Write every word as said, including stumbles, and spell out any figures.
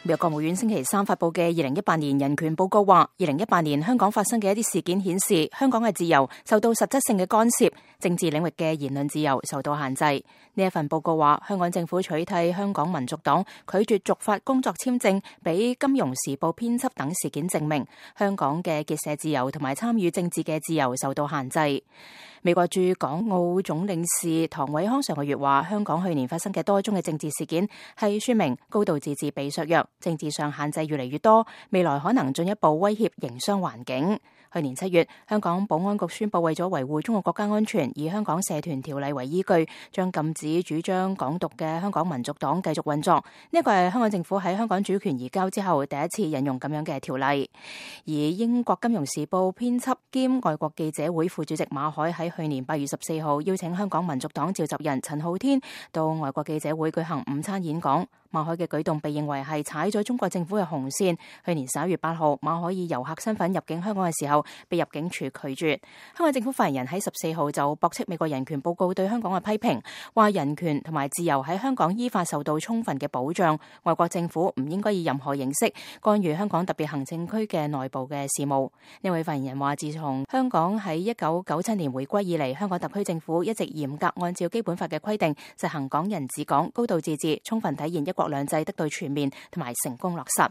美國國務院星期三發佈嘅二零一八年人權報告話，二零一八年香港發生嘅一啲事件顯示，香港嘅自由受到實質性嘅干涉，政治領域嘅言論自由受到限制。呢一份報告話，香港政府取締香港民族黨，拒絕續發工作簽證俾金融時報編輯等事件證明，香港嘅結社自由同埋參與政治嘅自由受到限制。美國駐港澳總領事唐偉康上個月話，香港去年發生嘅多宗嘅政治事件係說明高度自治被削弱，政治上限制越嚟越多，未來可能進一步威脅營商環境。去年七月，香港保安局宣布為咗維護中國國家安全，以香港社團條例為依據，將禁止主張港獨嘅香港民族黨繼續運作。呢一個係香港政府喺香港主權移交之後第一次引用咁樣嘅條例。而英國金融時報編輯兼外國記者會副主席馬凱喺去年八月十四號邀請香港民族黨召集人陳浩天到外國記者會舉行午餐演講。馬凱嘅舉動被認為係踩咗中國政府嘅紅線。去年十一月八號，馬凱以遊客身份入境香港嘅時候，被入境處拒絕。香港政府發言人喺十四號就駁斥美國人權報告對香港嘅批評，話人權同埋自由喺香港依法受到充分嘅保障，外國政府唔應該以任何形式干預香港特別行政區嘅內部嘅事務。呢位發言人話，自從香港喺一九九七年回歸以嚟，香港特區政府一直嚴格按照基本法嘅規定實行港人治港、高度自治，充分體現一國兩制得到全面同埋成功落實。